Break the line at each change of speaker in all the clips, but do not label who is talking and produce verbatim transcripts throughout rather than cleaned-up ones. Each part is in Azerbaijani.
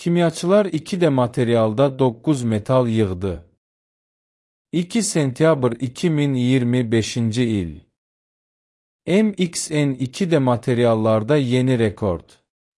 Kimyaçılar iki D materialda doqquz metal yığdı. iki sentyabr iki min iyirmi beşinci il. M X N iki D materiallarda yeni rekord.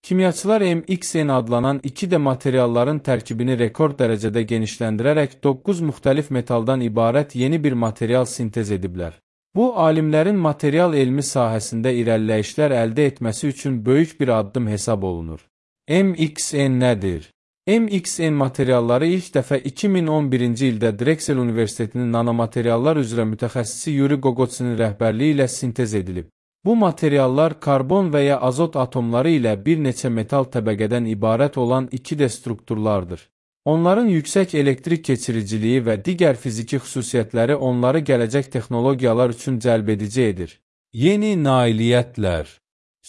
Kimyaçılar M X N adlanan iki D materialların tərkibini rekord dərəcədə genişləndirərək doqquz müxtəlif metaldan ibarət yeni bir material sintez ediblər. Bu, alimlərin material elmi sahəsində irəliləyişlər əldə etməsi üçün böyük bir addım hesab olunur. M X N nədir? M X N materialları ilk dəfə iki min on birinci ildə Drexel Universitetinin nanomateriallar üzrə mütəxəssisi Yuri Gogotsin'in rəhbərliyi ilə sintez edilib. Bu materiallar karbon və ya azot atomları ilə bir neçə metal təbəqədən ibarət olan iki D strukturlardır. Onların yüksək elektrik keçiriciliyi və digər fiziki xüsusiyyətləri onları gələcək texnologiyalar üçün cəlb edici edir. Yeni nailiyyətlər.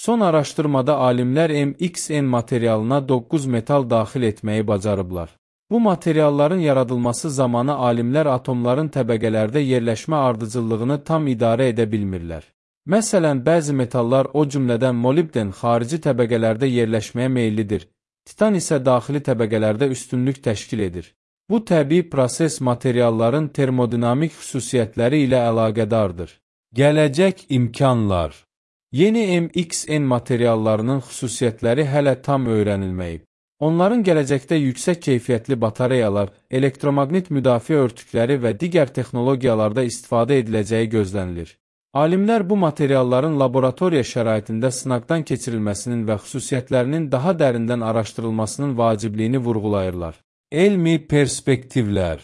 Son araşdırmada alimlər M X N materialına doqquz metal daxil etməyi bacarıblar. Bu materialların yaradılması zamanı alimlər atomların təbəqələrdə yerləşmə ardıcıllığını tam idarə edə bilmirlər. Məsələn, bəzi metallar, o cümlədən molibden xarici təbəqələrdə yerləşməyə meyillidir. Titan isə daxili təbəqələrdə üstünlük təşkil edir. Bu təbii proses materialların termodinamik xüsusiyyətləri ilə əlaqədardır. Gələcək imkanlar. Yeni M X N materiallarının xüsusiyyətləri hələ tam öyrənilməyib. Onların gələcəkdə yüksək keyfiyyətli batareyalar, elektromaqnit müdafiə örtükləri və digər texnologiyalarda istifadə ediləcəyi gözlənilir. Alimlər bu materialların laboratoriya şəraitində sınaqdan keçirilməsinin və xüsusiyyətlərinin daha dərindən araşdırılmasının vacibliyini vurğulayırlar. Elmi perspektivlər.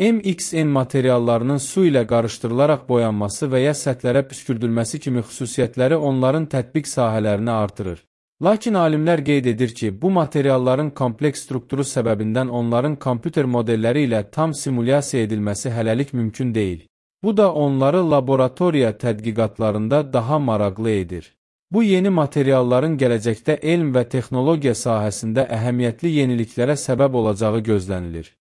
M X N materiallarının su ilə qarışdırılaraq boyanması və ya səthlərə püskürdülməsi kimi xüsusiyyətləri onların tətbiq sahələrini artırır. Lakin alimlər qeyd edir ki, bu materialların kompleks strukturu səbəbindən onların kompüter modelləri ilə tam simulyasiya edilməsi hələlik mümkün deyil. Bu da onları laboratoriya tədqiqatlarında daha maraqlı edir. Bu yeni materialların gələcəkdə elm və texnologiya sahəsində əhəmiyyətli yeniliklərə səbəb olacağı gözlənilir.